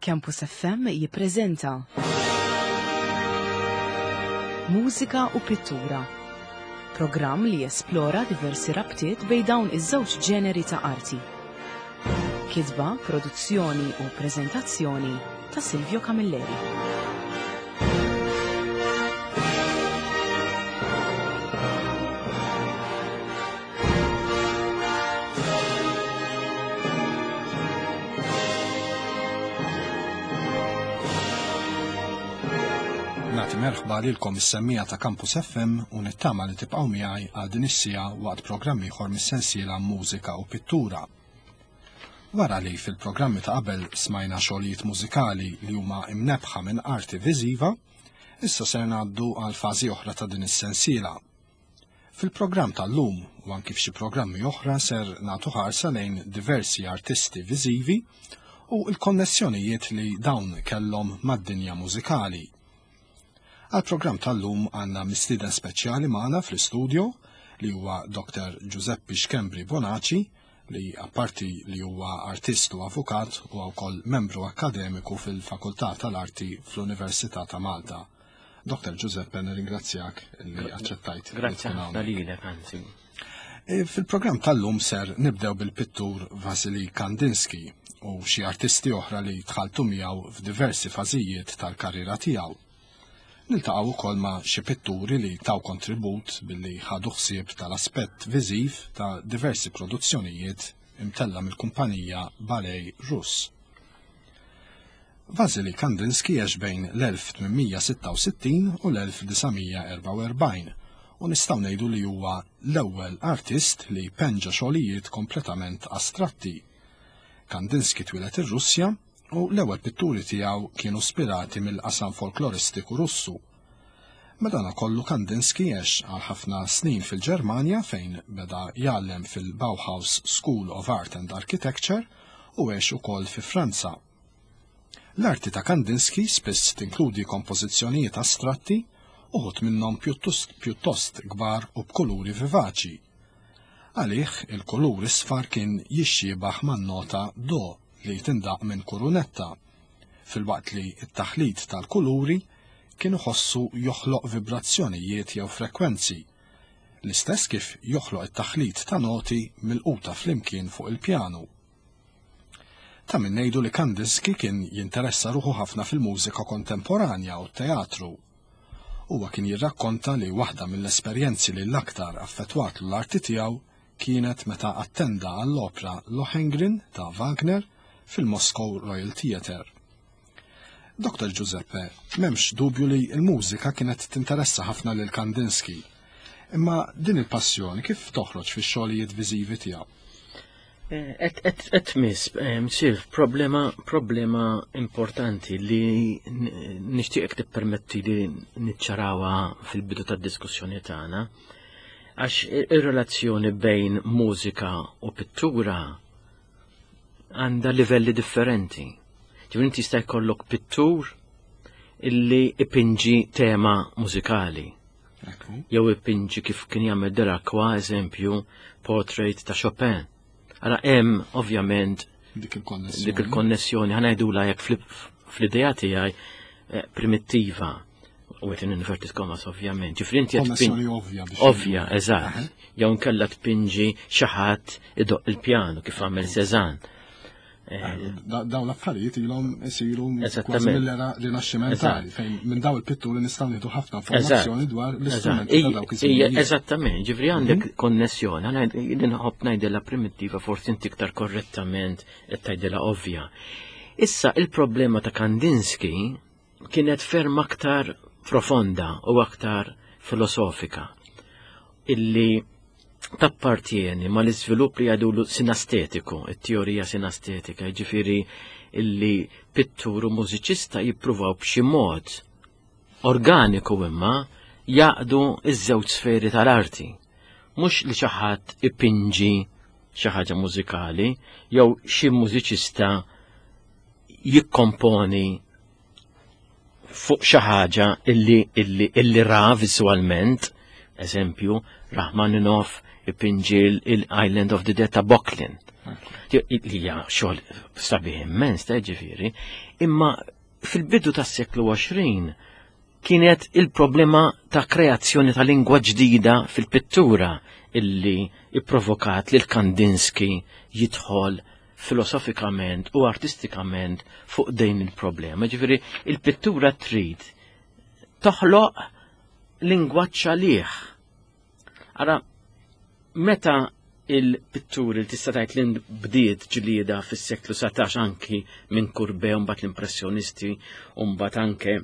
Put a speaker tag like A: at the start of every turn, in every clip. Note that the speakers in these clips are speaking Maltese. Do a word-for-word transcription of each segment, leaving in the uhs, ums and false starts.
A: Campus F M jippreżenta Mużika u Pittura, programm li jesplora diversi rabtiet bejn dawn iż-żewġ ġeneri ta' arti. Kitba, produzzjoni u preżentazzjoni ta' Silvio Camilleri.
B: Nagħti merħba lilkom is-semmija ta' Campus F M u nittama li tibqgħu miegħi għal din is-siegħa waqt programm ieħor mis-sensiela Mużika u Pittura. Wara li fil-programmi ta' qabel smajna xogħlijiet mużikali li huma imnebħa minn arti viżiva, issa ser ngħaddu għal fażi oħra ta' din is-sensiela. Fil-programm tal-lum u anki f'xi programmi oħra ser nagħtu ħarsa lejn diversi artisti viżivi u l-konnessjonijiet li dawn kellhom mad-dinja mużikali. Għal-programm tal-lum għandna mistieden speċjali magħna fl-istudio li huwa Doktor Giuseppe Schembri Bonaci, li apparti li huwa artist u avukat u wkoll membru akkademiku fil-Fakultà tal-Arti fl-Università ta' Malta. Doktor Giuseppe, nirringrazzjak li aċċettajt li
C: Grazzi
B: tkun
C: ħafna
B: hawnhekk.
C: lilek, anzi.
B: E, fil-programm tal-lum ser nibdew bil-pittur Vasily Kandinsky u xi artisti oħra li tħalltu miegħu f'diversi fażijiet tal-karriera tiegħu. Niltaqgħu wkoll ma' xi pitturi li taw kontribut billi ħadu ħsieb tal-aspett viżiv ta' diversi produzzjonijiet imtella mill-kumpanija Ballet Russ. Vasily Kandinsky għex bejn l-elf tmien sitta u sittin u l-elf disa' mija erba' u erbgħin u nistgħu ngħidu li huwa l-ewwel artist li penġa xogħlijiet kompletament astratti. Kandinsky twieled ir-Russja u l-ewwel pitturi tiegħu kienu spirati mill-qasam folkloristiku Russu. Madanakollu Kandinsky għex għal ħafna snin fil-Ġermanja fejn beda jgħallem fil-Bauhaus School of Art and Architecture u għex ukoll fi Franza. L-arti ta' Kandinsky spiss tinkludi kompożizzjonijiet astratti, uħud minnhom pjuttost, pjuttost kbar u b'kuluri vivaċi. Għalih il-kulur isfar kien jixxiebaħ man-nota do li tindaq minn kurunetta, filwaqt li t-taħlit tal-kuluri kien iħossu joħloq vibrazzjonijiet jew frekwenzi, l-istess kif joħloq it-taħlit ta' noti milquta flimkien fuq il-pjanu. Ta' min ngħidu li Kandinsky kien jinteressa ruħu ħafna fil-mużika kontemporanja u t-teatru. Huwa kien jirrakkonta li waħda mill-esperjenzi li l-aktar affettwatlu l-arti tiegħu kienet meta attenda għall-opra Lohengrin ta' Wagner fil-Moscow Royal Theatre. Doktor Giuseppe, m'hemmx dubju li l-mużika kienet tinteressa ħafna lil Kandinsky. Imma din il-passjoni kif toħroġ fix-xogħlijiet viżivi tiegħu?
C: Eh, et, et, et miss, eh, Silv, problema, problema importanti li n-, nixtieqek tippermetti li niċċarawha fil-bidu tad-diskussjoni tagħna, għax ir-relazzjoni bejn mużika u pittura għandha livelli differenti. Ġifieri inti jista' jkollok pittur illi ipinġi tema mużikali.
B: Ekku.
C: Jew ipinġi kif kien jagħmel Delacroix, eżempju, portrait ta' Chopin. Ara hemm ovvjament
B: dik il-konnessjoni.
C: Dik il-konnessjoni, ħa ngħidula jekk fl-, fl-idea tiegħi, eh, primittiva, u qed inverted commas ovvjament. Ġifieri inti qed
B: Konnessjoni
C: tpin-
B: ovvja biex
C: Ovvja,
B: ngħidu.
C: eżatt.
B: Aha.
C: Jew nkella tpinġi xi ħadd idoq il-pjanu kif għamel Cézanne. Eh,
B: Da-, dawn l-affarijiet ilhom isiru kważi
C: Eżattament.
B: mill-era rinaxximentali,
C: Eżatt.
B: fejn minn dawn il-pitturi nistgħu nieħdu ħafna informazzjoni
C: Eżatt.
B: dwar
C: Eżatt.
B: l-istrumenti ta'
C: Ij-
B: dawk
C: ija,
B: iż-żminijiet.
C: Eżattament, ġifri għandek
B: Mhm.
C: konnessjoni, għana jien nħobb ngħidilha primittiva, forsi inti iktar korrettament qed tgħidilha ovvja. Issa il-problema ta' Kandinsky kienet ferm aktar profonda u aktar filosofika, illi tappartieni ma l-iżvilupp li għadulu sinastetiku, it-teorija sinastetika, ġifiri illi pittur u mużiċista jippruvaw b'xi mod organiku imma jaqdu iż-żewġ sferi tal-arti. Mhux li xi ħadd ipinġi xi ħaġa mużikali jew xi mużiċista jikkomponi fuq xi ħaġa illi, illi, illi ra viżwalment, Eżempju, Rachmaninoff ipinġi il-Island of the Dead ta' Böcklin. Li hija xogħol sabiħ immens ta' ġifieri, imma fil-bidu tas-seklu għoxrin kienet il-problema ta' kreazzjoni ta' lingwa ġdida fil-pittura illi ipprovokat lil Kandinsky jidħol filosofikament u artistikament fuq din il-problema. Ġifieri, il-pittura trid toħloq lingwaġġ għalih. Ara, meta il-pitturi li tista' tgħid li bdiet ġlieda fis-seklu satax anki minn Courbet u mbagħad l-impressjonisti u mbagħad anke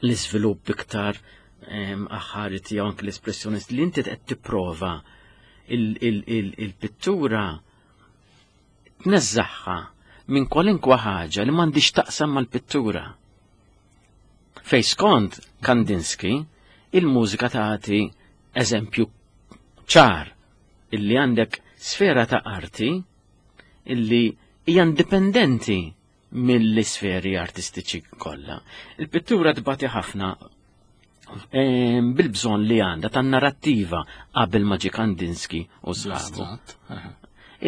C: l-iżvilupp iktar aħħari tiegħu anke l-espressjonisti li inti qed tipprova il-pittura tneżżaħħa minn kwalinkwa ħaġa li m'għandix taqsam mal-pittura. Fej skont Kandinsky, il-mużika tagħti eżempju ċar illi għandek sfera ta' arti illi hija indipendenti mill-isferi artistiċi kollha. Il-pittura tbati ħafna bil-bżonn li għandha tan narrattiva qabel ma ġie Kandinsky u sħabu.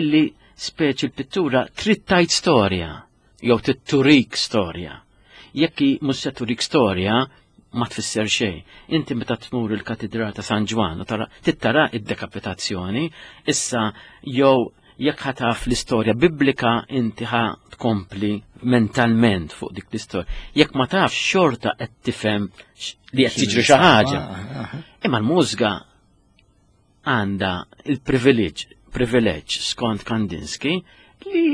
C: Illi speċi l-pittura trid tgħid storja jew titturik storja. Jekk mhux se turik storja, ma tfisser xejn. Inti meta tmur il-Katedral ta' San Ġwann u tara tittara id-dekapitazzjoni, issa jew jekk ħataf l-istorja biblika inti ħa tkompli mentalment fuq dik l-istorja. Jekk ma tafx xorta qed tifhem li qed tiġri xi ħaġa. Imma l-mużika għandha il-privileġġ privileġġ skont Kandinsky li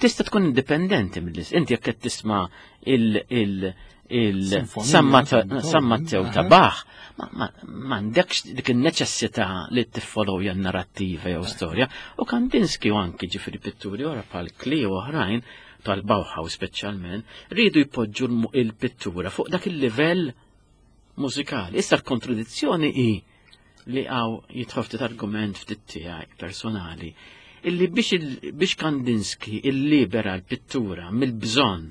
C: tista' tkun indipendenti mill Inti jekk qed tisma' il- il il-San Matteo ta' Bach, m'għandekx dik il-neċessità li tiffollowja narrattiva jew storja. U Kandinsky u anki ġifieri pitturi ora bħal Klee u oħrajn tal-Bauhaus speċjalment, rridu jpoġġu il-pittura fuq dak il-livell mużikali. Issa l-kontradizzjoni hi li għaw jidħol ftit argument ftit tiegħi personali illi biex, biex Kandinsky illibera l-pittura mill-bżonn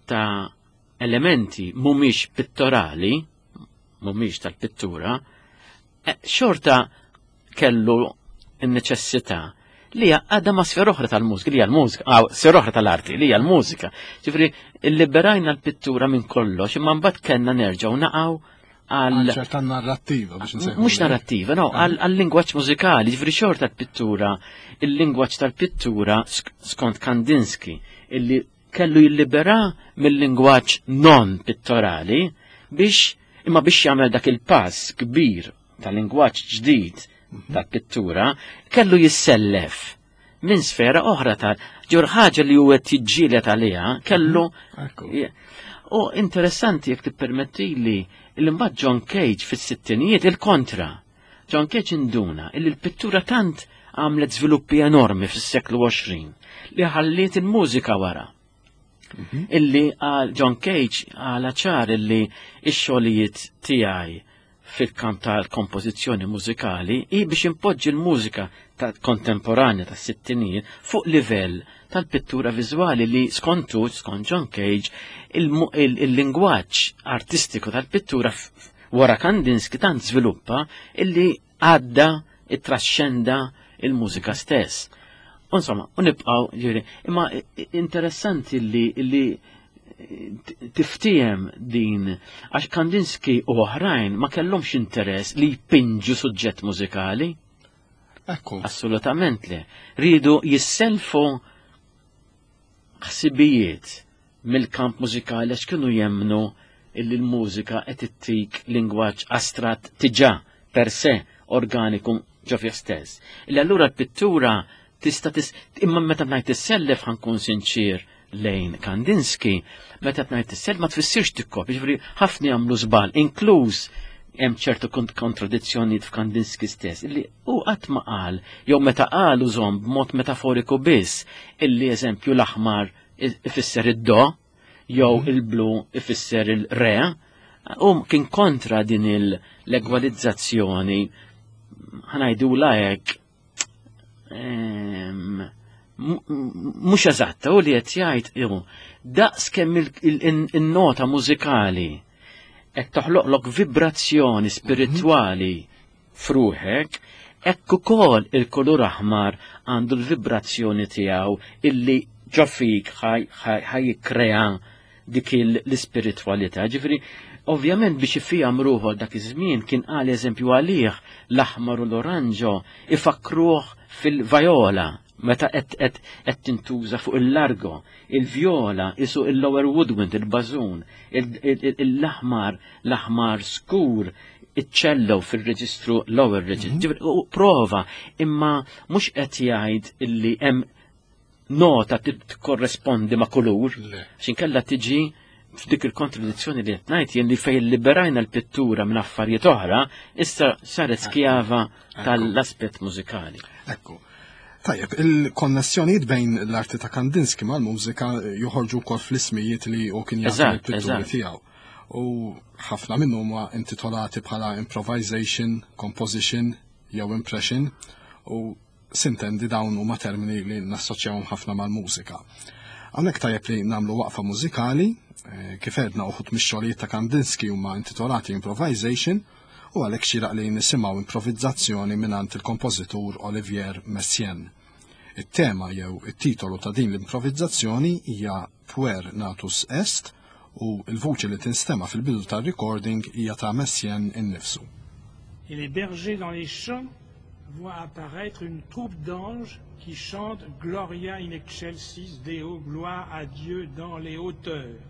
C: ta' elementi mhumiex pittorali, mhumiex tal-pittura, xorta kellu n-neċessità li għadha ma' sfera oħra tal-mużika, li hija l-mużika, għaw, sfera oħra tal-arti, li hija l-mużika. Ġifieri, illiberajna l-pittura minn kollox, imma mbagħad kellna nerġgħu naqgħu
B: għal ċerta narrattiva biex nsejħu.
C: Mhux narrattiva, no, għal lingwaġġ mużikali, ġifieri xorta l-pittura, il-lingwaġġ tal-pittura skont Kandinsky, illi kellu jillibera mill-lingwaġġ non pittorali biex imma biex jagħmel dak il-pass kbir tal-lingwaġġ ġdid tal-pittura, kellu jissellef minn sfera oħra tal ġur ħaġa li huwa tiġġieled għaliha kellu. U interessanti jekk tippermettili li mbagħad John Cage fis-sittinijiet il-kontra. John Cage induna illi l-pittura tant għamlet żviluppi enormi fis-seklu għoxrin li ħalliet il-mużika wara. Illi għal John Cage għala ċar illi x-xogħlijiet tiegħi fil-kamp tal-kompożizzjoni mużikali i biex impoġġi l-mużika ta' kontemporanja tas sittinijiet fuq livell tal-pittura viżwali li skontu, skont John Cage, il-lingwaġġ artistiku tal-pittura wara Kandinsky tant żviluppa illi għadda it-trascenda il-mużika stess. Insomma, u nibqaw, ġifieri, imma interessanti li li tiftijem din, għax Kandinsky u oħrajn ma kellhomx interess li jpinġu suġġett mużikali.
B: Ekku.
C: Assolutament le. Ridu jisselfu ħsibijiet mill-kamp mużikali għax kienu jemnu illi l-mużika qed ittik lingwaġġ astratt tiġà per se organiku ġo fih stess. Illi allura l-pittura tista' tis imma meta ngħid tissellef ħankun sinċir lejn Kandinsky, meta ngħid tissellef ma tfissirx tikkopja, ġifieri ħafna jagħmlu żball, inkluż hemm ċertu kontradizzjonijiet f'Kandinsky stess, illi hu qatt ma qal, jew meta qal użhom b'mod metaforiku biss, illi eżempju l-aħmar ifisser id-do, jew il-blu ifisser il-re, u kien kontra din l-egwalizzazzjoni, ħanajdu hekk, mhux eżatta, u li qed jgħid ihu daqs kemm il-nota mużikali qed toħloqlok vibrazzjoni spiritwali f'ruħek, hekk ukoll il-kulur aħmar għandu l-vibrazzjoni tiegħu illi ġo fik ħa jikkrea dik l-ispiritwalità. Ġifieri, ovvjament biex ifihom ruħu dak iż-żmien kien qal eżempju għalih l-aħmar u l-oranġo ifakruh fil-vajola meta qed qed tintuża fuq il-largo, il-vjola isu il-lower woodwind, il-bażun, l-aħmar, l-aħmar skur, iċ-cello fil-reġistru lower register. Mhm. Prova, imma mhux qed jgħid illi hemm nota tikkorrespondi ma' kulur, x'inkella tiġi f'dik il-kontradizzjoni li qed ngħid jien li fejn liberajna l-pittura minn affarijiet oħra, issa saret skjava tal-aspett mużikali.
B: Ekku. Tajjeb, il-konnessjonijiet bejn l-arti ta' Kandinsky mal-mużika joħorġu wkoll fl-ismijiet li hu kien jagħti l-pitturi tiegħu. U ħafna minnhom huma intitolati bħala improvisation, composition jew impression u sintendi dawn huma termini li nassoċjawhom ħafna mal-mużika. Hawnhekk tajjeb li nagħmlu waqfa mużikali, eh, kif għedna uħud mix-xogħlijiet ta' Kandinsky huma intitolati improvisation u għalhekk xieraq li nisimgħu improvizzazzjoni mingħand il-kompożitur Olivier Messiaen. It-tema jew it-titolu ta' din l-improvizzazzjoni hija Puer Natus Est u l-vuċi li tinstema' fil-bidu tar-recording hija ta' Messiaen innifsu.
D: Et les bergers dans les champs voient apparaître une troupe d'anges qui chantent Gloria in excelsis Deo, gloire à Dieu dans les hauteurs.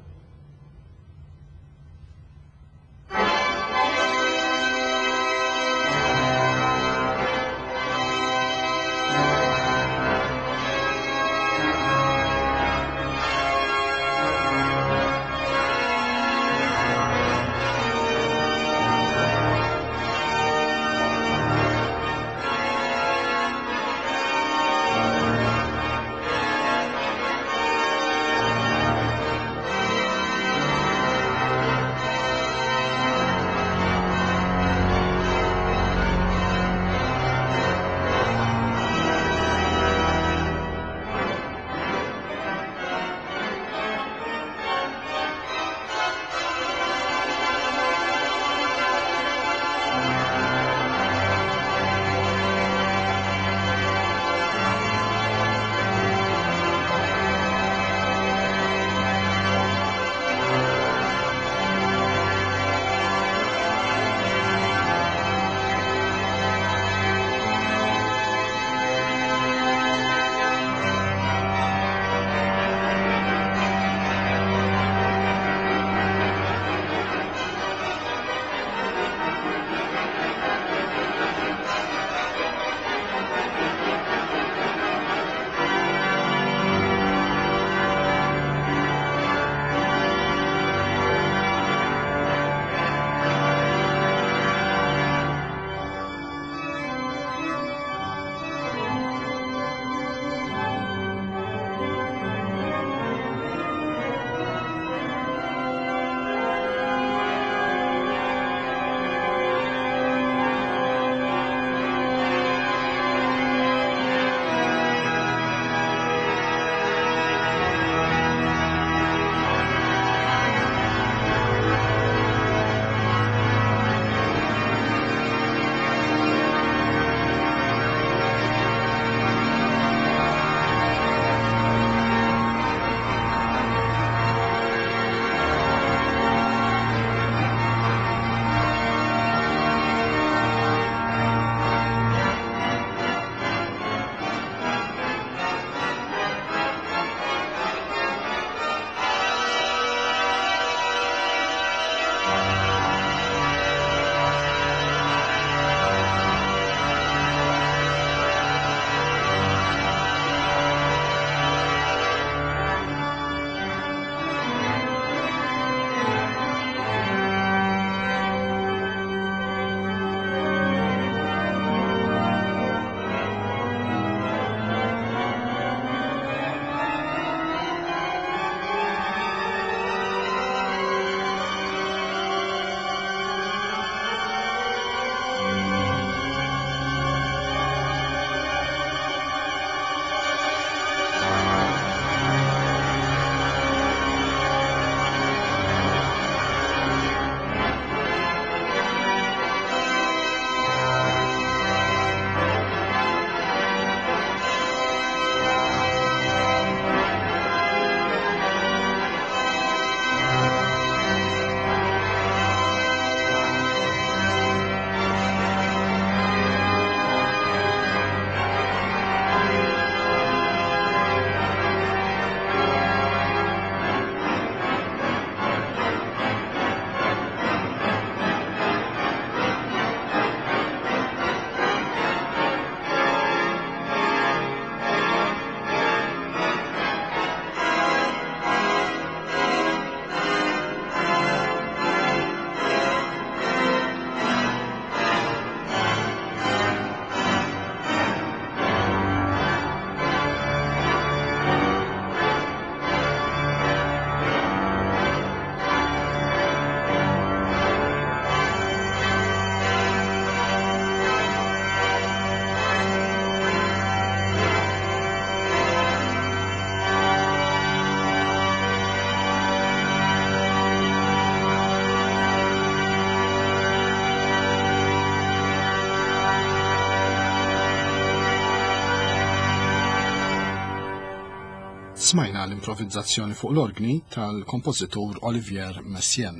B: Smajna l-improvizzazzjoni fuq l-orgni tal-kompożitur Olivier Messiaen.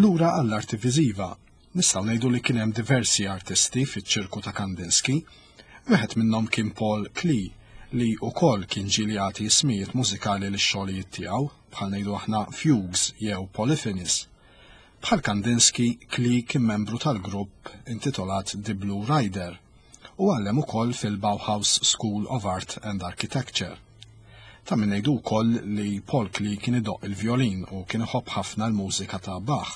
B: Lura għall-arti viżiva, nistgħu ngħidu li kien hemm diversi artisti fiċ-ċirku ta' Kandinsky. Wieħed minnhom kien Paul Klee, li wkoll kien ġieli jagħti ismijiet mużikali lix-xogħlijiet tiegħu, bħal ngħidu aħna fugues jew polyphonies. Bħal Kandinsky, Klee kien membru tal-grupp intitolat The Blue Rider u għallem ukoll fil-Bauhaus School of Art and Architecture. Ta' min ngħidu wkoll li Paul Klee kien idoqq il-violin u kien iħobb ħafna l-mużika ta' Bach.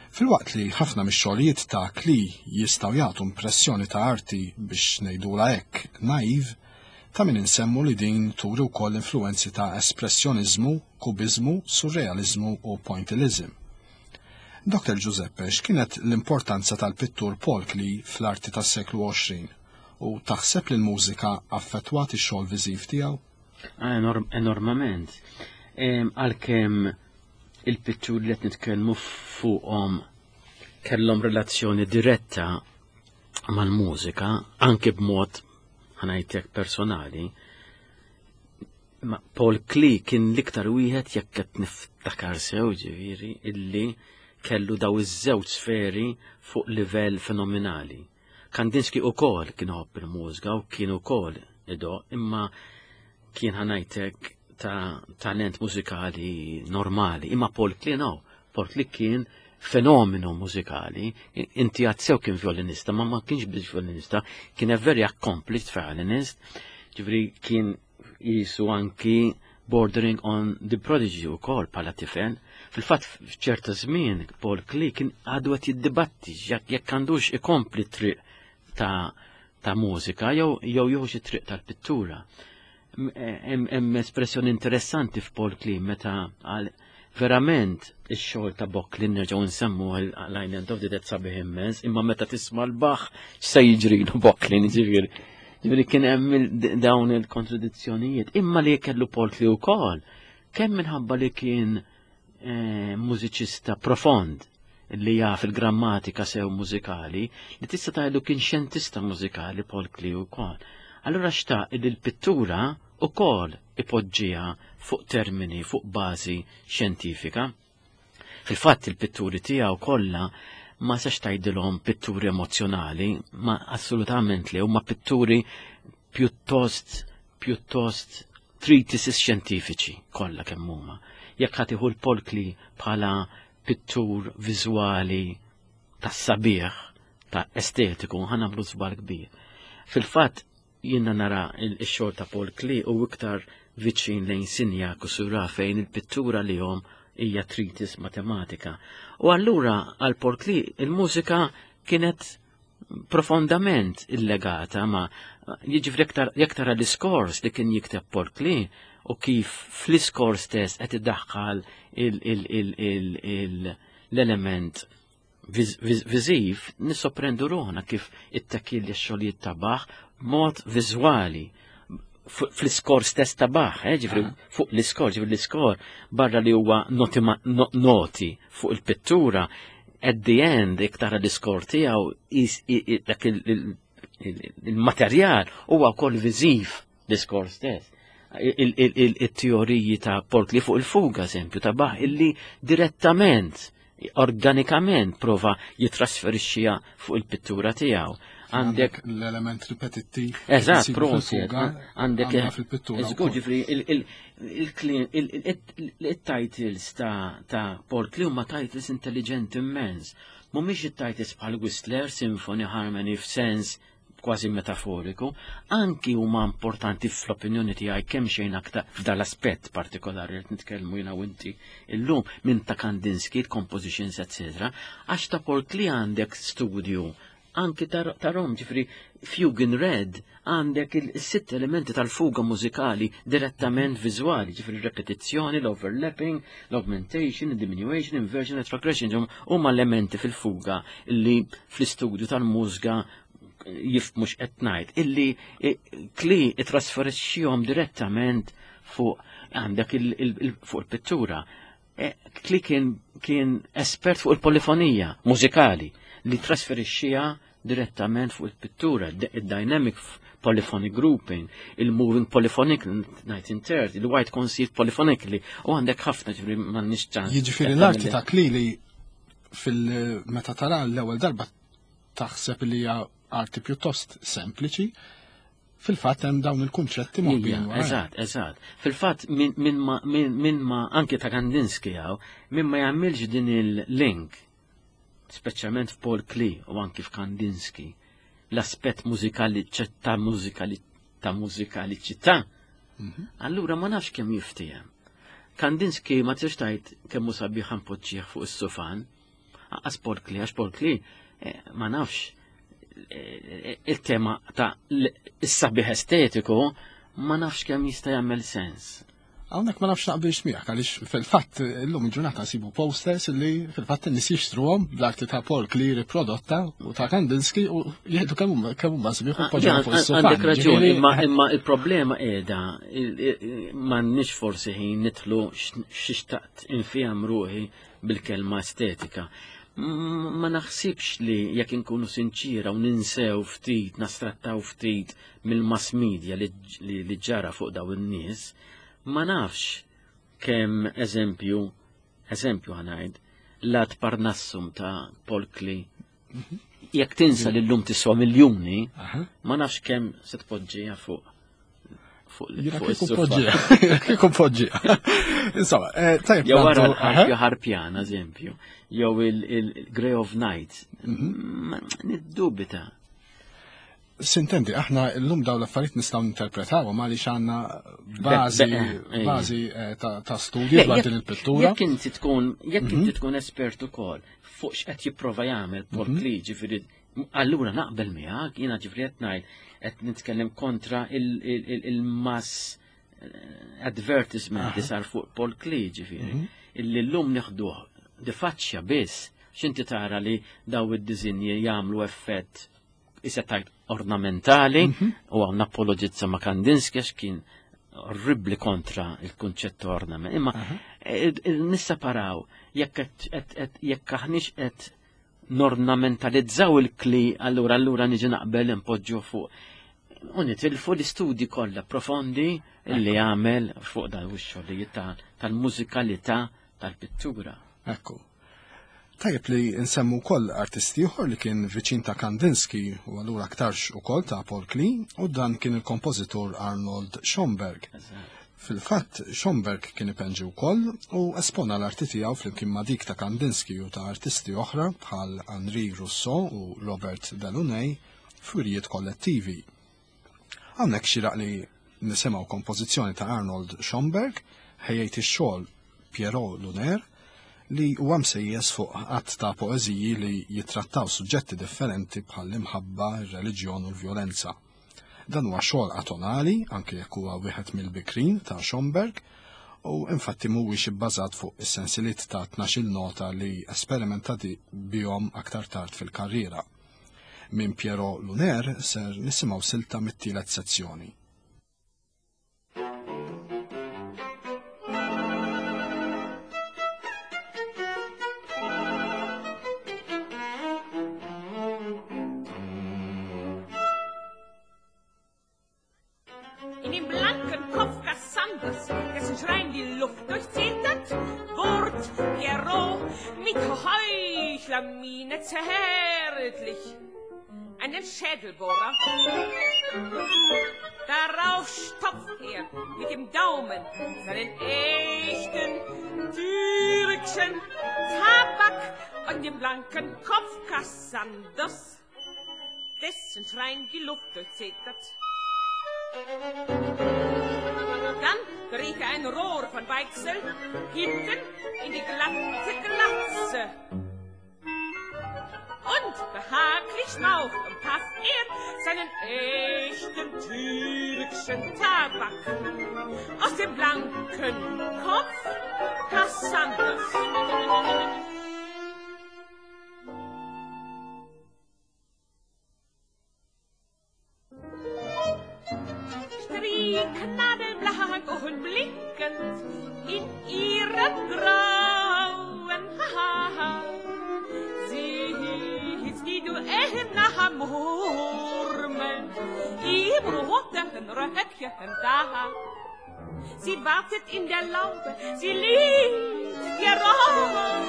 B: Filwaqt li ħafna mix-xogħlijiet ta' Klee jistgħu jagħtu impressjoni ta' arti biex ngħidula hekk naiv, ta' min insemmu li din turi wkoll influenzi ta' espressjoniżmu, kubiżmu, surrealizmu u pointillism. Doktor Giuseppe, x'kienet l-importanza tal-pittur Paul Klee fl-arti tas-seklu għoxrin u taħseb li l-mużika affettwat ix-xogħol viżiv tiegħu?
C: Ah, enormament. Għalkemm il-pitturi li qed nitkellmu fuqhom kellhom relazzjoni diretta mal-mużika, anke b'mod ħa ngħidlek personali, ma Paul Klee kien l-iktar wieħed, jekk qed niftakar sew ġifieri, illi kellu daw iż-żewġ sferi fuq livell fenomenali. Kandinsky ukoll kien iħobb il-mużika u kien ukoll idoqq, imma kien ħa ngħidlek ta' talent mużikali normali. Imma Paul Klee no, Paul Klee kien fenomenu mużikali. Inti għedt sew kien violinista, ma ma kienx biss violinista, kien a very accomplished violinist, ġifieri kien jisu anki bordering on the prodigy u kol bħala tifel. Fil-fatt f'ċerta żmien Paul Klee kien għadu qed jiddibatti jekk għandux ikompli triq ta' ta' mużika jew jew jieħu xi triq tal-pittura. Hemm espressjoni interessanti f'Paul Klee meta għal verament ix-xogħol ta' Bocklin, nerġgħu nsemmu l-Island of the Dead, sabiħ immens, imma meta tisma' l-Bach x'se jiġrilu Bocklin, ġifieri. Ġifieri kien hemm dawn il-kontradizzjonijiet. Imma li kellu Paul Klee wkoll, kemm minħabba li kien eh, mużiċista profond li jaf il-grammatika sew mużikali, li tista' tgħidu kien xjentista mużikali Paul Klee wkoll. Allura xtaq li l-pittura ukoll ipoġġiha fuq termini, fuq bażi xjentifika. Fil-fatt il-pitturi tiegħu kollha ma sax tgħidilhom pitturi emozjonali, ma assolutament li huma pitturi pjuttost pjuttost treatises xjentifiċi kollha kemm huma. Jekk ħa tieħu l-Paul Klee bħala pittur viżwali tas-sabiħ, ta' estetiku, ħa nagħmlu żball kbir. Fil-fatt jiena nara il-xogħol ta' Paul Klee u iktar viċin lejn Signac u Seurat, fejn il-pittura li jom hija treatise matematika. U allura għal Paul Klee il-mużika kienet profondament illegata ma jiġifieri jekk tara l-iskors li kien jikteb Paul Klee u kif fl-iskor stess qed iddaħħal l-element viżiv, nissorprendu ruħna kif it-takil xogħlijiet ta' Bach mod viżwali fl-iskor stess ta' Bach, eh, ġifieri ah. fuq l-iskor, ġifieri l-iskor barra li huwa noti, noti fuq il-pittura, at the end iktar l-iskor tiegħu dak il-materjal huwa wkoll viżiv l-iskor stess. Il-teoriji ta' Paul Klee fuq il-fuga, eżempju, ta' Bach, illi direttament, organikament prova jitrasferixxiha fuq il-pittura tiegħu.
B: Għandek l-element ripetittiv.
C: Eżatt, prosit.
B: Għandek fil-pittura.
C: Żgur, ġifieri il-titles ta' Paul Klee huma titles intelligenti immens. Mhumiex it-titles bħal Whistler, Symphony, Harmony f'sens kważi metaforiku, anki huma importanti fl-opinjoni tiegħi kemm xejn aktar f'dal-aspett partikolari li nitkellmu jiena u inti illum minn ta' Kandinsky, compositions, et cetera, għax ta' Paul Klee għandek studju anki ta' Rom, ġifieri Fugue in Red, għandek il-sitt elementi tal-fuga mużikali direttament viżwali, ġifieri repetizzjoni, l-overlapping, l-augmentation, diminution, inversion, retrogression, huma elementi fil-fuga li fl-istudju tal-mużika jifhmu x'qed ngħid, illi Klee trasferixxihom direttament fuq għandek fuq il-pittura. E, Klee kien, kien espert fuq il-polifonija mużikali li trasferixxiha direttament fuq il-pittura, il-dynamic Polyphonic Grouping, il-Moving Polyphonic nineteen thirty, il-White Conceived Polyphonically, u għandek ħafna ġifieri m'għandniex ċans.
B: Jiġifieri l-arti ta' Klee li fil-meta tara l-ewwel darba taħseb li hija arti pjuttost sempliċi, fil-fatt hemm dawn il-kunċetti moħbijin.
C: Eżatt, eżatt. Fil-fatt min ma min ma anke ta' Kandinsky hawn, min ma jagħmilx din il-link, speċjalment f'Paul Klee u anke f'Kandinsky, l-aspett mużikali ta' mużikali ta' mużikaliċità, allura ma nafx kemm jiftiehem. Kandinsky ma tistax tgħid kemm hu sabiħ npoġġih fuq is-sufan, anqas Paul Klee, għax Paul Klee ma nafx il-tema ta' is-sabiħ estetiku ma nafx kemm jista' jagħmel sens.
B: Hawnhekk ma nafx naqbilx miegħek għaliex fil-fatt illum il-ġurnata nsibu posters li fil-fatt in-nies jixtruhom bl-arti ta' Paul Klee riprodotta u ta' Kandinsky u jgħidu kemm huma kemm huma sbieħ u poġġew fuq is-sufan.
C: Għandek raġun, imma imma il-problema qiegħda m'għandniex forsi ħin nidħlu x'ixtaqt infihom ruħi bil-kelma estetika. Ma naħsibx li jekk inkunu sinċira u ninsew ftit, nastrattaw ftit mill-mass media li ġara fuq daw in-nies, ma nafx kemm eżempju, eżempju ħanajd, l-Ad Parnassum ta' Paul Klee, jekk tinsa li llum tiswa miljuni, ma nafx kemm se tpoġġiha fuq fuq
B: is-sofa. Kieku poġġiha. Insomma, tajjeb.
C: Jew wara l-ħarpja ħarpjana, eżempju, jew il-Grey of Night. Niddubita.
B: Sintendi, aħna llum dawn l-affarijiet nistgħu ninterpretawhom għaliex għandna bażi bażi ta' studju dwar din il-pittura.
C: Jekk inti tkun jekk inti tkun espert ukoll fuq x'qed jipprova jagħmel Paul Klee, ġifieri allura naqbel miegħek, jiena ġifieri qed ngħid qed nitkellem kontra il-mass advertisement li sar fuq Paul Klee, ġifieri, illi llum nieħduh di faċċja biss, x'inti tara li daw id-diżinji jagħmlu effett issa tajt ornamentali, u għaw napologizza ma' Kandinsky għax kien orribli kontra il-kunċett ornament. Imma nisseparaw jekk aħniex qed nornamentalizzaw il-Klee, allura allura niġi naqbel impoġġu fuq. U nitilfu l-istudji kollha profondi li għamel fuq dan ix-xogħlijiet tal-mużikalità tal-pittura.
B: Ekku. Tajjeb li nsemmu wkoll artisti ieħor li kien viċin ta' Kandinsky u allura aktarx ukoll ta' Paul Klee, u dan kien il-kompożitur Arnold Schoenberg. Fil-fatt, Schoenberg kien ipenġi wkoll u espona l-arti tiegħu flimkien ma' dik ta' Kandinsky u ta' artisti oħra bħal Henri Rousseau u Robert Delaunay f'wirjiet kollettivi. Hawnhekk xieraq li nisimgħu kompożizzjoni ta' Arnold Schoenberg ħejjejt ix-xogħol Pierrot Lunaire li huwa msejjes fuq qatt ta' poeżiji li jittrattaw suġġetti differenti bħall-imħabba, ir-reliġjon u l-vjolenza. Dan huwa xogħol atonali, anke jekk huwa wieħed mill-bikrin ta' Schoenberg, u infatti mhuwiex ibbażat fuq is-sensiliet ta' tnax-il nota li esperimentati bihom aktar tard fil-karriera. Minn Pierrot Lunaire ser nisimgħu silta mit-tielet sezzjoni.
E: In dem blanken Kopf Cassanders, dessen Schrein die Luft durchzetert, wurd Pierrot mit Heuchlermiene zärtlich einen Schädelbohrer. Darauf stopft er mit dem Daumen seinen echten türkischen Tabak und dem blanken Kopf Cassanders, dessen Schrein die Luft durchzetert. Dann dreht er ein Rohr von Weichsel hinten in die glatte Glatze. Und behaglich schmaucht und pafft er seinen echten türkischen Tabak aus dem blanken Kopf Cassanders. Nadelblank und blinkend in ihrem grauen Haar. Sie ist die Duenna murmelnd Im roten Röckchen da. Sie wartet in der Laube, sie liebt Pierrot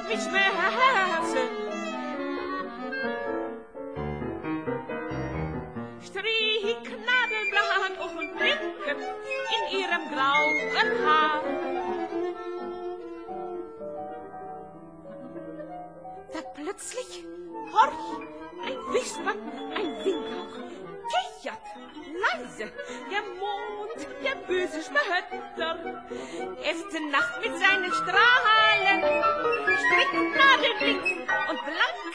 E: mit Schmerzen. Stricknadeln blank und blinken in ihrem grauen Haar. Da plötzlich, horch, ein Wispern, ein Windhauch, kichert leise der Mond, der böse Spötter, äfft Nacht mit seinen Strahlen, Stricknadeln blinken und blank.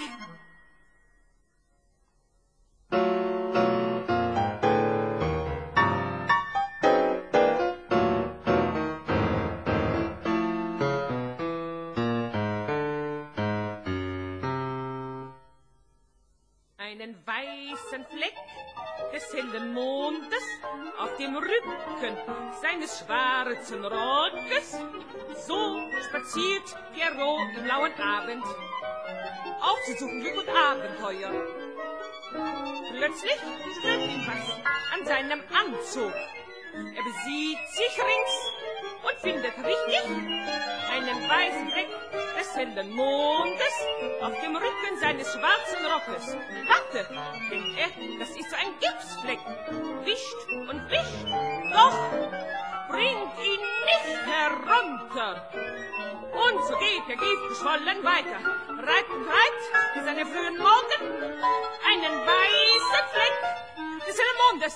E: Einen weißen Fleck des hellen Mondes auf dem Rücken seines schwarzen Rockes. So spaziert Pierrot im lauen Abend, aufzusuchen Glück und Abenteuer. Plötzlich stört ihn was an seinem Anzug. Er besieht sich rings und findet richtig einen weißen Fleck des hellen Mondes auf dem Rücken seines schwarzen Rockes. Warte, denkt er, das ist so ein Gipsfleck. Wischt und wischt, doch bringt ihn nicht herunter. Und so geht der giftgeschwollen weiter, reibt und reibt bis an den frühen Morgen einen weißen Fleck des hellen Mondes.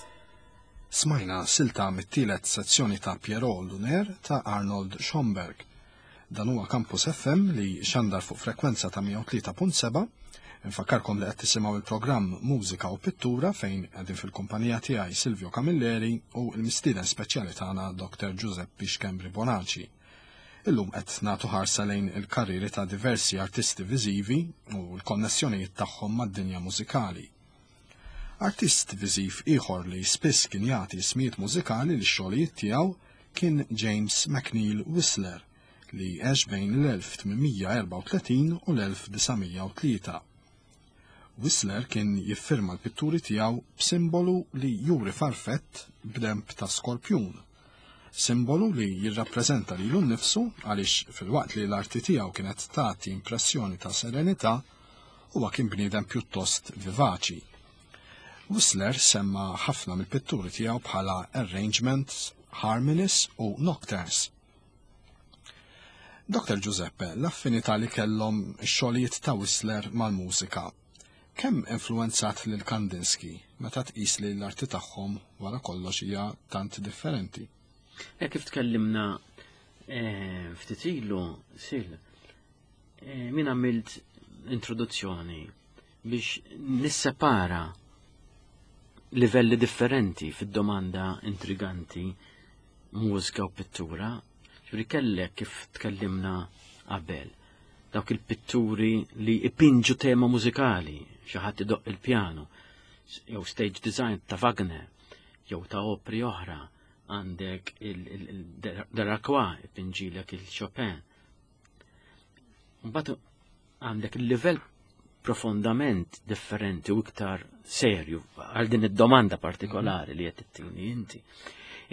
B: Smajna silta mit-tielet sezzjoni ta' Pierrot Lunaire ta' Arnold Schoenberg. Dan huwa Campus F M li xandar fuq frekwenza ta' mija u tlieta punt seba'. Infakkarkom li qed tisimgħu il-programm Mużika u Pittura fejn qegħdin fil-kumpanija tiegħi Silvio Camilleri u l-mistieden speċjali tagħna Doktor Giuseppe Schembri Bonaci. Illum qed nagħtu ħarsa lejn il-karrieri ta' diversi artisti viżivi u l-konnessjonijiet tagħhom mad-dinja mużikali. Artist viżiv ieħor li spiss kien jagħti ismijiet mużikali lix xogħlijiet tiegħu kien James McNeill Whistler li għex bejn l-elf tmien mija erbgħa u tletin u l-elf disa' mija u tlieta. Whistler kien jiffirma l-pitturi tiegħu b'simbolu li juri farfett b'demb ta' skorpjun, simbolu li jirrappreżenta lilu nnifsu għaliex filwaqt li l-arti tiegħu kienet tagħti impressjoni ta' serenità, huwa kien bniedem pjuttost vivaċi. Whistler semma ħafna mill-pitturi tiegħu bħala arrangements, harmonies u nocturnes. Doktor Giuseppe, l-affinità li kellhom ix-xogħlijiet ta' Whistler mal-mużika, kemm influenzat lil Kandinsky meta tqis li l-arti tagħhom wara kollox hija tant differenti?
C: E kif tkellimna, eh, ftit ilu, Sil, eh, min għamilt introduzzjoni biex nissepara livelli differenti fid-domanda intriganti mużika u pittura. Ġifieri kellek kif tkellimna qabel, dawk il-pitturi li ipinġu tema mużikali, xi ħadd idoqq il-pjanu, jew stage design ta' Wagner, jew ta' opri oħra, għandek il-Delacroix ipinġilek il-Chopin. Mbagħad għandek il-livell profondament differenti u iktar serju għal din id-domanda partikolari li qed ittini inti,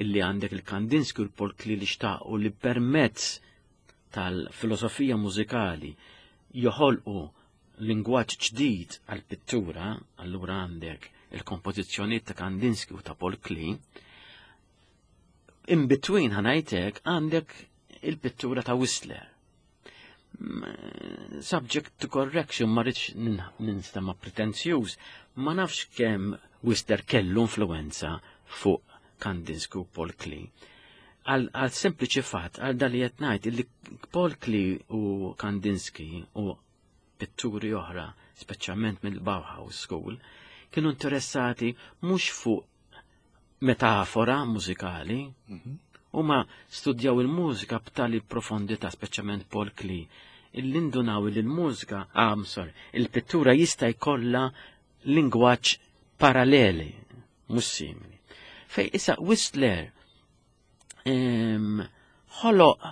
C: illi għandek il-Kandinsky u l-Paul Klee li xtaqu li permezz tal-filosofija mużikali joħolqu lingwaġġ ġdid għal-pittura, allura għandek il-kompożizzjonijiet ta' Kandinsky u ta' Paul Klee. In between ħanajtek għandek il-pittura ta' Whistler. M-, subject to correction, ma rridx nin-, ninstema' pretenzjuż, ma nafx kemm Whistler kellu influenza fuq Kandinsky u Paul Klee. Għal, għal sempliċi fatt, għal dal li qed ngħid, illi Paul Klee u Kandinsky u pitturi oħra, speċjalment mill-Bauhaus School, kienu interessati mhux fuq metafora mużikali,
B: Mhm.
C: huma studjaw il-mużika b'tali profondità, speċjalment Paul Klee, illi ndunaw li l-mużika, ah, I'm sorry, il-pittura jista' jkollha lingwaġġ paralleli, mhux simili. Fej issa Whistler, em, ħoloq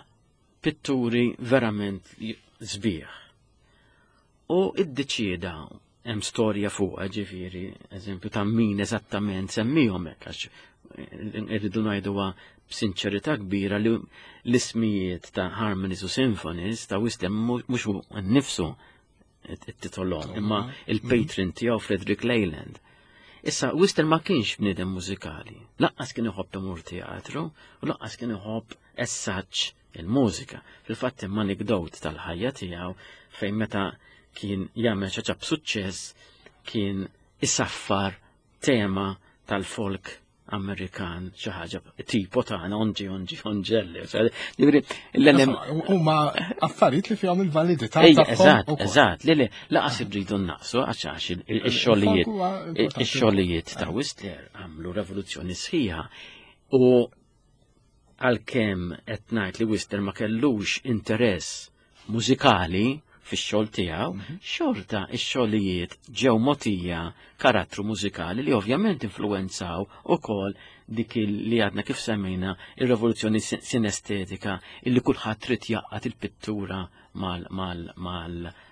C: pitturi verament sbieħ. U iddeċieda Hemm storja fuqha, ġifieri, eżempju ta' min eżattament semmihom hekk, għax irridu ngħiduha b'sinċerità kbira li l-ismijiet ta' harmonies u symphonies ta' Whistler mhux hu nnifsu it-titolhom, imma il-patron tiegħu, Frederick Leyland. Issa, Whistler ma kienx bniedem mużikali, lanqas kien iħobb imur teatru u lanqas kien iħobb essaġġ il-mużika. Fil-fatt hemm anekdot tal-ħajja tiegħu fejn meta kien jagħmel xi ħaġa b'suċċess kien isaffar tema tal-folk Amerikan, xi ħaġa tipo tagħna "Onġi onġi onġelli". Ġifieri
B: l-element Huma affarijiet li fihom il-validità
C: tagħhom. Eżatt, eżatt, li li lanqas irridu naqsu għax għax ix-xogħlijiet ix-xogħlijiet ta' Whistler għamlu revoluzzjoni sħiħa u għalkemm qed ngħid li Whistler ma kellux interess mużikali fix-xogħol tiegħu, mhm. xorta ix-xogħlijiet ġew mogħtija karattru mużikali li ovvjament influenzaw ukoll dik li għadna kif semmejna, ir-revoluzzjoni sinestetika, illi kulħadd trid jgħaqqad il-pittura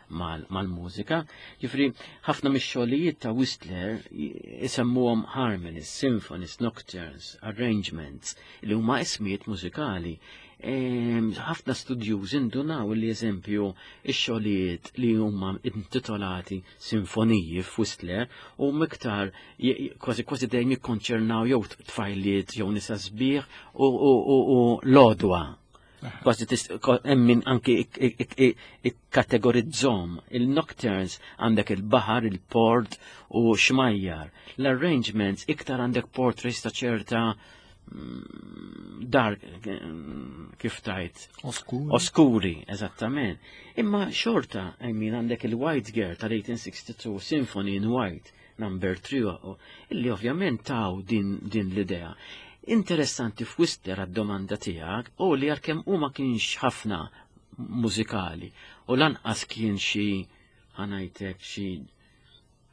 C: mal-mużika. Ġifieri ħafna mix-xogħlijiet ta' Whistler isemmuhom harmonies, symphonies, nocturnes, arrangements, li huma ismijiet mużikali. Ħafna studjuż indunaw li, eżempju, ix-xogħlijiet li huma intitolati sinfoniji f'Whistler u miktar kważi kważi dejjem jikkonċernaw jew tfajliet jew nisa sbieħ u l-odwa. Kważi hemm anki ikkategorizzahom. Il-nocturnes għandek il-baħar, il-port u xmajjar. L-arrangements iktar għandek portraits ta' ċerta mm, dark, kif tajt?
B: Oskuri.
C: Oskuri, eżattament. Imma xorta, I mean, għandek il-White Girl tal-eighteen sixty-two, Symphony in White, number three, illi ovvjament taw din, din l-idea. Interessanti f'Whistler, għad-domanda tiegħek, u li għalkemm u ma kienx ħafna mużikali u lanqas kien xi, ħa ngħidlek, xi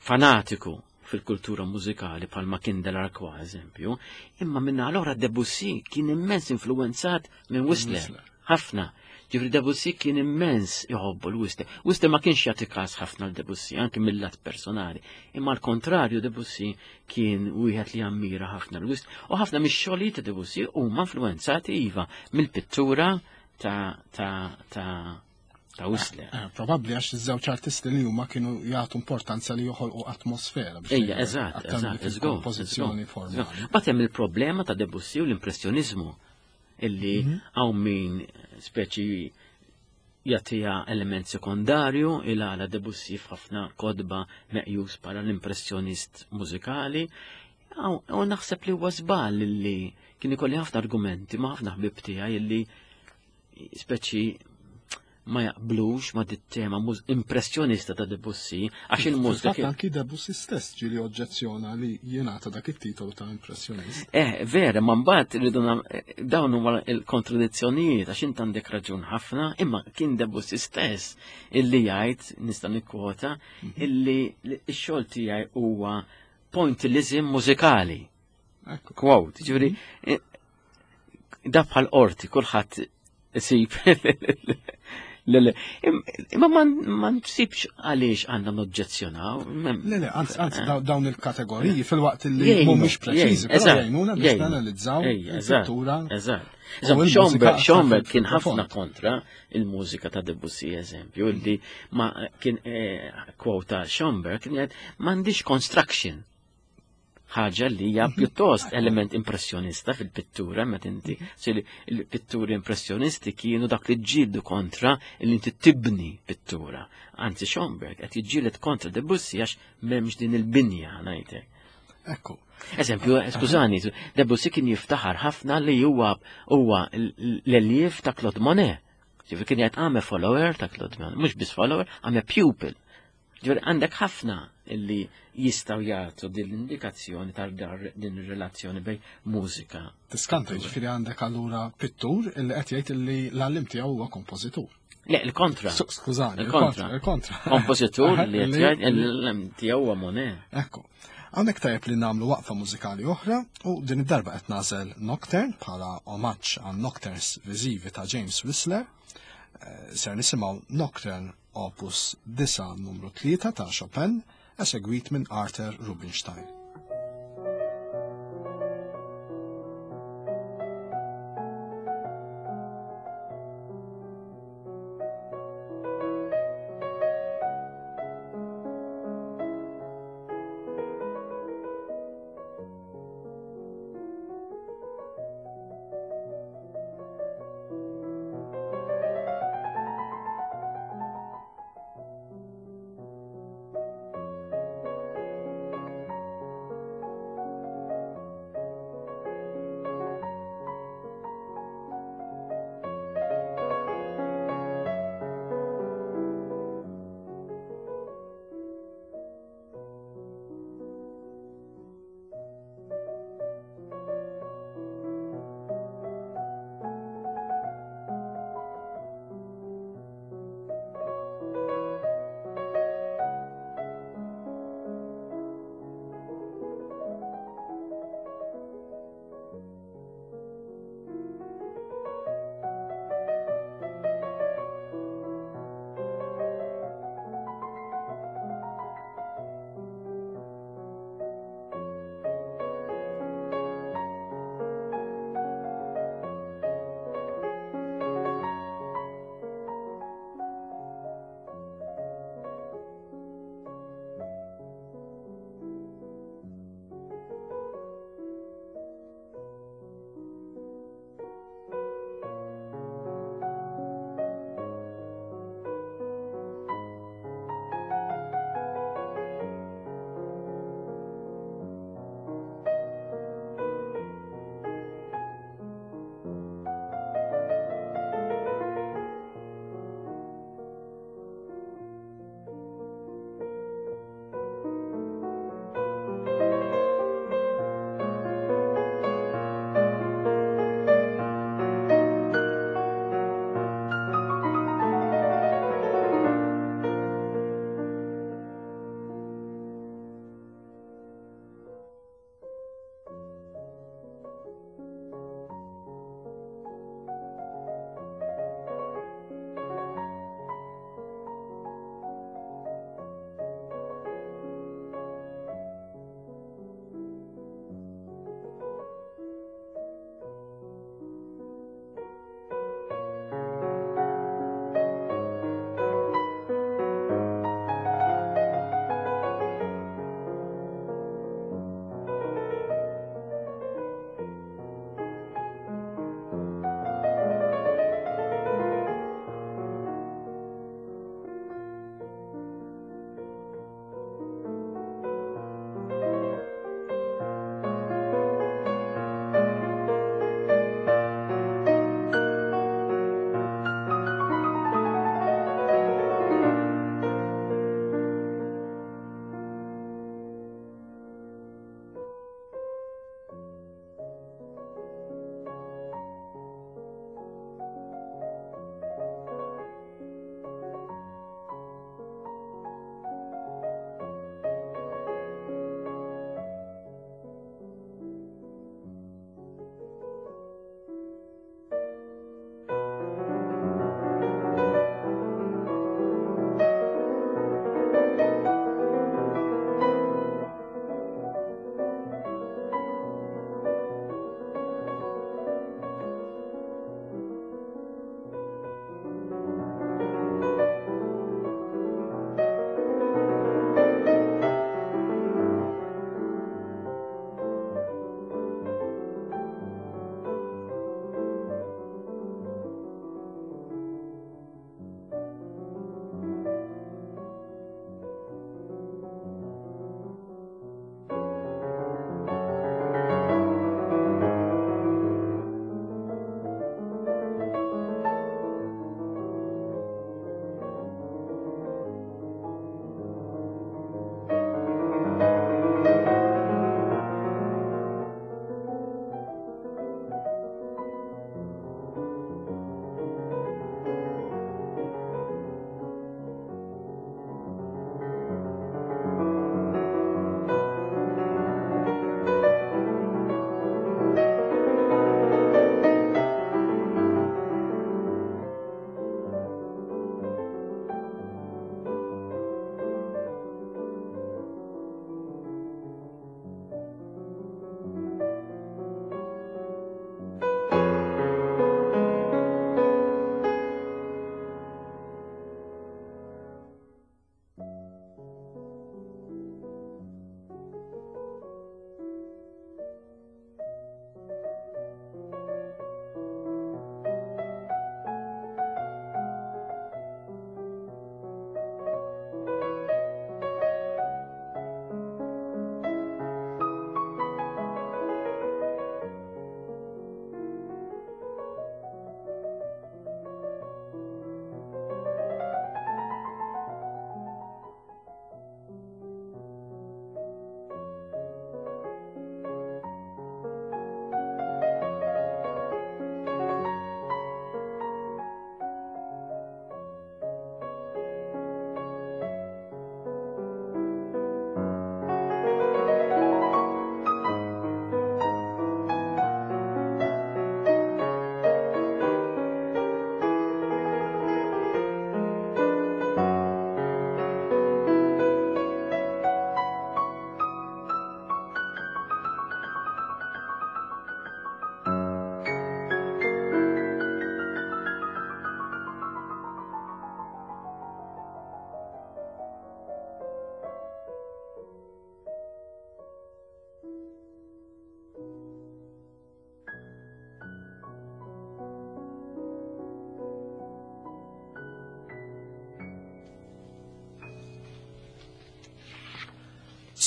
C: fanatiku fil-kultura mużikali bħalma kien Delarquois, eżempju, imma minna allora Debussy kien immens influenzat minn Whistler. Ħafna. Ġifieri Debussy kien immens jħobbu l-Whistler. Whistler ma kienx jagħti każ ħafna l-Debussy, anki mill-lat personali. Imma l-kontrarju, Debussy kien wieħed li ammira ħafna l-Whistler. U ħafna mix-xogħlijiet ta' Debussy huma influenzati iva mill-pittura ta' ta' ta' ta' Whistler.
B: Eh, Probabbli għax iż-żewġ artisti li huma kienu jagħtu importanza li joħolqu atmosfera biex
C: Ejja,
B: ngħidu,
C: eżatt,
B: aktar
C: eżatt,
B: milli
C: eżgur.
B: fil-kompożizzjoni formali.
C: Bat hemm il-problema ta' Debussy u l-impressjonizmu illi hawn min speċi jagħtiha element sekondarju, il għala Debussy f'ħafna kotba meqjus bħala l-impressjonist mużikali. U naħseb li huwa żball illi kien ikolli ħafna argumenti ma' ħafna ħbib tiegħi illi speċi ma jaqblux ma' dit-tema impressjonista ta' Debussy għax il-mużika
B: Fil-fatt anki Debussy stess ġieli oġġezzjona li jingħata dak it-titolu ta' impressjonist.
C: Eh, vera, ma mbagħad irridu dawn huma l-kontradizzjonijiet, għax int għandek raġun ħafna, imma kien Debussy stess illi jgħid, nista' nikkwota, mhm. illi x-xogħol tiegħi huwa pointillism mużikali. Quote, ġifieri, mhm. eh, da bħal qorti, kulħadd isib. Le, le, imma ma nsibx għaliex għandna noġġezzjonaw.
B: Le, le, anzi, anzi, dawn il-kategoriji fil-waqt li mhumiex preċiżi, però jgħinuna biex nanalizzaw il-pittura.
C: Eżatt. Schoenberg kien ħafna kontra il-mużika ta' Debussy, eżempju, illi ma kien eh, kwota Schoenberg kien jgħid m'għandix construction, ħaġa li hija mhm. pjuttost element impressjonista fil-pittura, meta inti il-pitturi impressjonisti kienu dak li ġġieldu kontra li inti tibni pittura. Anzi, Schoenberg qed jiġġieled kontra Debussy għax m'hemmx din il-binja, ngħidlek.
B: Ekku.
C: Eżempju, skużani, Debussy kien jiftaħar ħafna li huwa huwa l-eljev ta' Claude Monet. Ġifieri kien jgħid, "I'm a follower ta' Claude Monet", mhux biss follower, "I'm a pupil". Ġifieri għandek ħafna illi jistgħu jagħtu din l-indikazzjoni tal din ir-relazzjoni bejn mużika.
B: Tiskanta, ġifieri għandek allura pittur illi qed jgħid illi l-għallim tiegħu huwa kompożitur.
C: Le, il-kontra.
B: Skużani, il-kontra. Il-kontra.
C: Kompożitur li qed jgħid l-għallim tiegħu huwa Monet.
B: Ekku. Hawnhekk tajjeb li nagħmlu waqfa mużikali oħra u din id-darba qed nagħżel Nocturne bħala omaġġ għan Nocturnes viżivi ta' James Whistler. Eh, ser nisimgħu Nocturne Opus disgħa numru tlieta ta' Chopin. esegwit minn Arthur Rubinstein.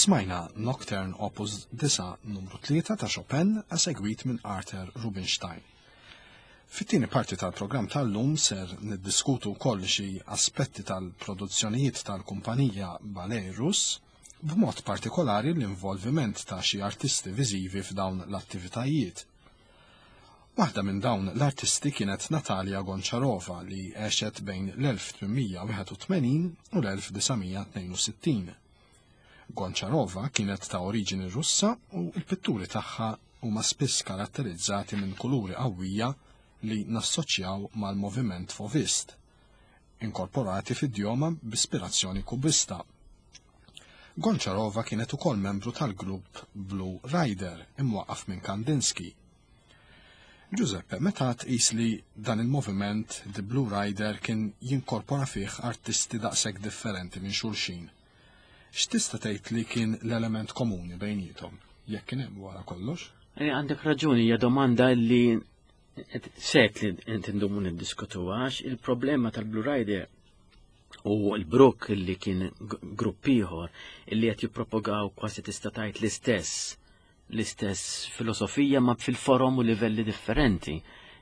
B: Smajna Nocturne Opus disgħa numru tlieta ta' Chopin esegwit minn Arthur Rubinstein. Fit-tieni parti tal-programm tal-lum ser niddiskutu wkoll xi aspetti tal-produzzjonijiet tal-kumpanija Ballet Russ, b'mod partikolari l-involviment ta' xi artisti viżivi f'dawn l-attivitajiet. Waħda minn dawn l-artisti kienet Natalia Goncharova li għexet bejn l-elf tmien wieħed u tmenin u l-elf disa' mija tnejn u sittin. Goncharova kienet ta' oriġini Russa u l-pitturi tagħha huma spiss karatterizzati minn kuluri qawwija li nassoċjaw mal-moviment Fauvist, inkorporati fid-djoma b'ispirazzjoni kubista. Goncharova kienet ukoll membru tal-grupp Blue Rider imwaqqaf minn Kandinsky. Giuseppe, meta tqis li dan il-moviment The Blue Rider kien jinkorpora fih artisti daqshekk differenti minn xulxin, x'tista' tgħid li kien l-element komuni bejniethom, jekk kien hemm wara kollox?
C: Eh, għandek raġuni, hija domanda li set li inti ndumu niddiskutuha, għax il-problema tal-Blue Rider u l-Brook li kien g-, grupp ieħor li qed jippropogaw kważi tista' tgħid l-istess, l-istess filosofija ma fil-forom u livelli differenti.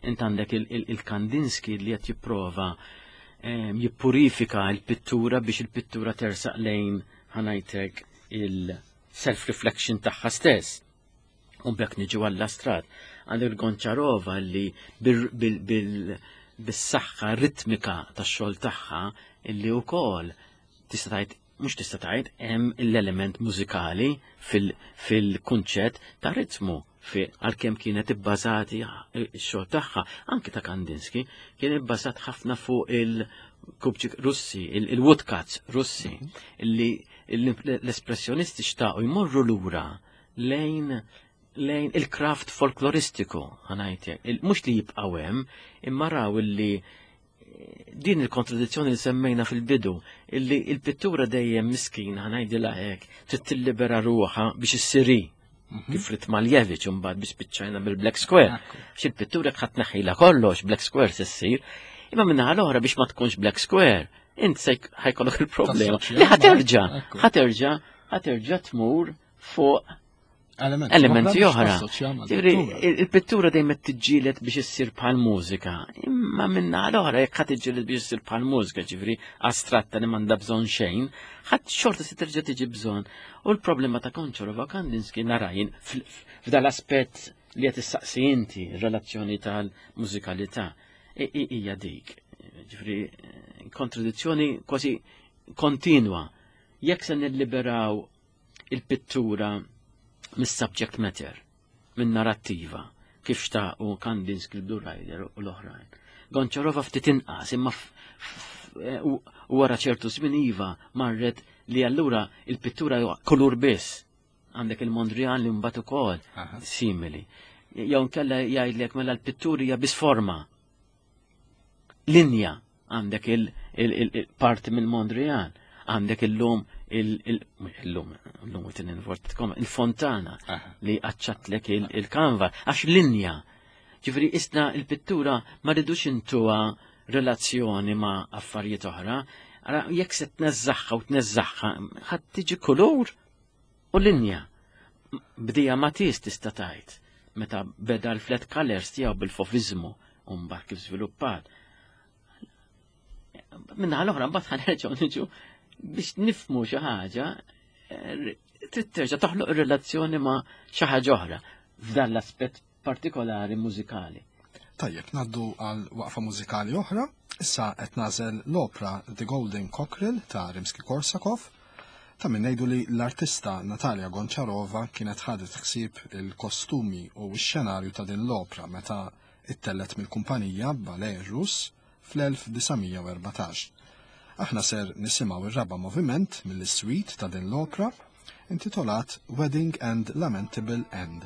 C: Int għandek il-, il-, il-Kandinsky li qed jipprova, ehm, jippurifika l-pittura biex il-pittura tersaq lejn ħanajtek il-self-reflection tagħha stess. U bekk niġu għall-astrat. Għandek il-Goncharova li bil-, bil-, bil-, bis-saħħa ritmika tax-xogħol tagħha illi wkoll tista' tgħid, mhux tista' tgħid, hemm l-element mużikali fil-, fil-kunċett ta' ritmu fi-, għalkemm kienet ibbażati x-xogħol tagħha, anki ta' Kandinsky, kien ibbażat ħafna fuq il-kubċik Russi, il-, il-woodcuts Russi, illi l-espressjonisti xtaqu jmorru lura lejn, lejn il-craft folkloristiku, ħanajtek, il-, mhux li jibqgħu hemm, imma raw illi din il-kontradizzjoni li semmejna fil-bidu, illi il-pittura dejjem miskin, ħanajdilha hekk, trid tillibera ruħha biex issiri,
B: Mhm.
C: kif rid Malevich imbagħad biex spiċċajna bil-Black Square.
B: Ekku.
C: Għax il-pittura ħadd tneħħilha kollox, Black Square se ssir, imma minnaħa l-oħra biex ma tkunx Black Square, int se jk-, ħajkollok il-problema.
B: Tassoċja
C: Li ħaterġa',
B: ma- ekku.
C: ħaterġa', ħaterġa' tmur fuq
B: Elementi
C: elementi
B: oħra
C: oħra.
B: biex tassoċja ma'
C: Ġifieri,
B: pittura.
C: il-, il-pittura dejjem qed tiġġieled biex issir bħal mużika. Imma minna l-oħra jekk ħadd tiġġieled biex issir bħal mużika, ġifieri astratta li m'għandha bżonn xejn, ħadd xorta se terġa' tiġi bżonn. U l-problema ta' Goncharova Kandinsky narajn fl-, f'dal-aspett li qed issaqsi inti, ir-relazzjoni tal-mużikalità, i-, i-, hija dik. Ġifieri, kontradizzjoni kważi kontinwa. Jekk se nilliberaw il-pittura mis-subject matter, minn narrattiva, kif xtaqu Kandinsky, Blue Rider u l-oħrajn. Goncharova ftit inqas, imma f-, f-, e, u, u wara ċertu żmien iva marret li allura il-pittura huwa kulur biss. Għandek il-Mondrian li mbagħad ukoll
B: Aha.
C: simili. Jew nkella jgħidlek mela l-pittura hija biss forma. Linja għandek il-, il-, il-, il-parti mill-Mondrian, għandek illum il-, il-, illum, illum qed ninvortkom, il-fontana
B: Aha.
C: li għacċatlek il-, il-kanva, għax linja. Ġifieri isna il-pittura ma rridux intuha relazzjoni ma' affarijiet oħra, ara jekk se tneżżaħħa u tneżżaħħa, ħadd tiġi kulur u linja. Bdija Matisse tista' tgħid meta beda l-flat colors tiegħu bil-fovizmu u mbagħad kif żviluppat. Minna l-oħra mbagħad ħanerġgħu niġu biex nifhmu xi ħaġa, eh, trid terġa' toħloq relazzjoni ma' xi ħaġa oħra f'dan l-aspett partikolari mużikali.
B: Tajjeb, ngħaddu għal waqfa mużikali oħra. Issa qed nagħżel l-opra The Golden Cockerel ta' Rimsky-Korsakov. Ta' min ngħidu li l-artista Natalia Goncharova kienet ħadet ħsieb il-kostumi u x-xenarju ta' din l-opra meta ittellet mill-kumpanija Ballet Russ fl-elf disa' mija u erbatax. Aħna ser nisimgħu ir-raba' moviment mill-suite ta' din l-opra intitolat Wedding and Lamentable End.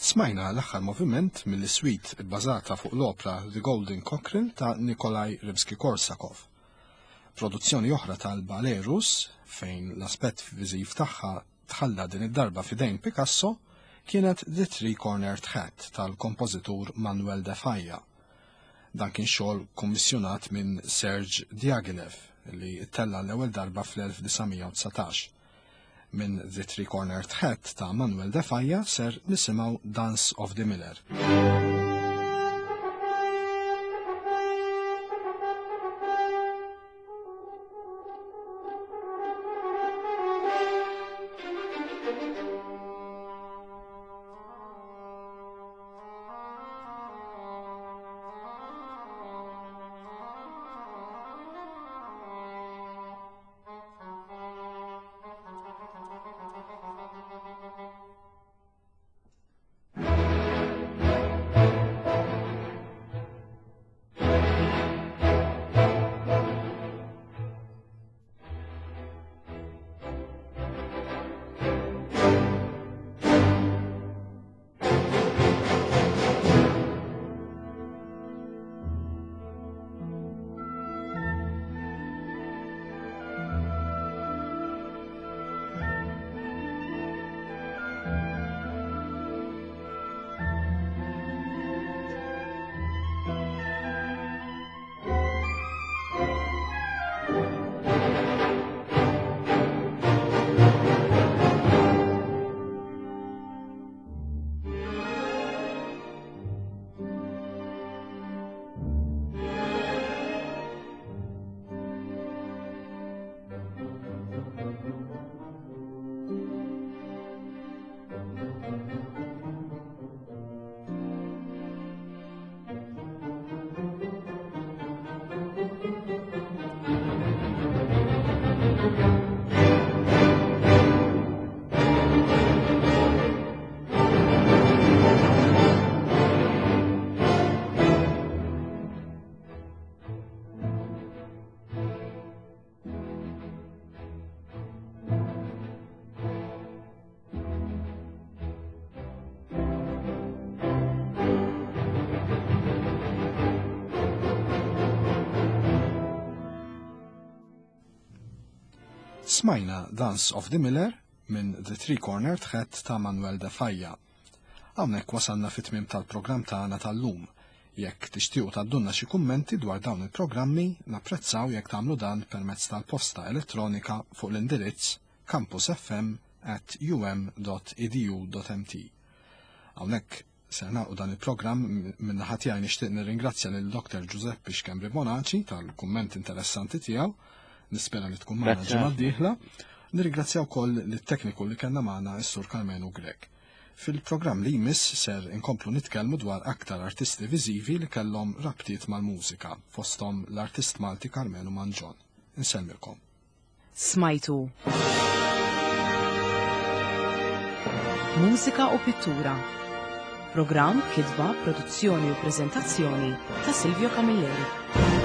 B: Smajna l-aħħar moviment mill-suite bbażata fuq l-opra The Golden Cockerel ta' Nikolaj Rimsky-Korsakov. Produzzjoni oħra tal-ballet Russ, fejn l-aspett viżiv tagħha tħalla din id-darba f'idejn Picasso, kienet The Three Cornered Hat tal-kompożitur Manuel de Falla. Dan kien xogħol kummissjonat minn Serge Diaghilev li ttella' l-ewwel darba fl-elf disa' mija u dsatax. Minn The Three Cornered Hat ta' Manuel de Falla ser nisimgħu Dance of the Miller. Smajna Dance of the Miller minn The Three Cornered Hat ta' Manuel de Falla. Hawnhekk wasalna fit-tmiem tal-programm tagħna tal-lum. Jekk tixtiequ tgħaddulna xi kummenti dwar dawn il-programmi, napprezzaw jekk tagħmlu dan permezz tal-posta elettronika fuq l-indirizz campus f m at u m dot e d u dot m t. Hawnhekk se nagħlqu dan il-programm. Minn naħa tiegħi nixtieq nirringrazzja lil Doktor Giuseppe Schembri Bonaci tal-kumment interessanti tiegħu. Nispera li tkun magħna
C: Grazie.
B: ġimgħa d-dieħla. Nirringrazzja wkoll lit-tekniku li kellna magħna s-Sur Karmenu Grech. Fil-programm li jmiss ser inkomplu nitkellmu dwar aktar artisti viżivi li kellhom rabtiet mal-mużika, fosthom l-artist Malti Karmenu Mangion. Insellmilkom.
A: Smajtu Mużika u Pittura. Programm, kitba, produzzjoni u preżentazzjoni ta' Silvio Camilleri.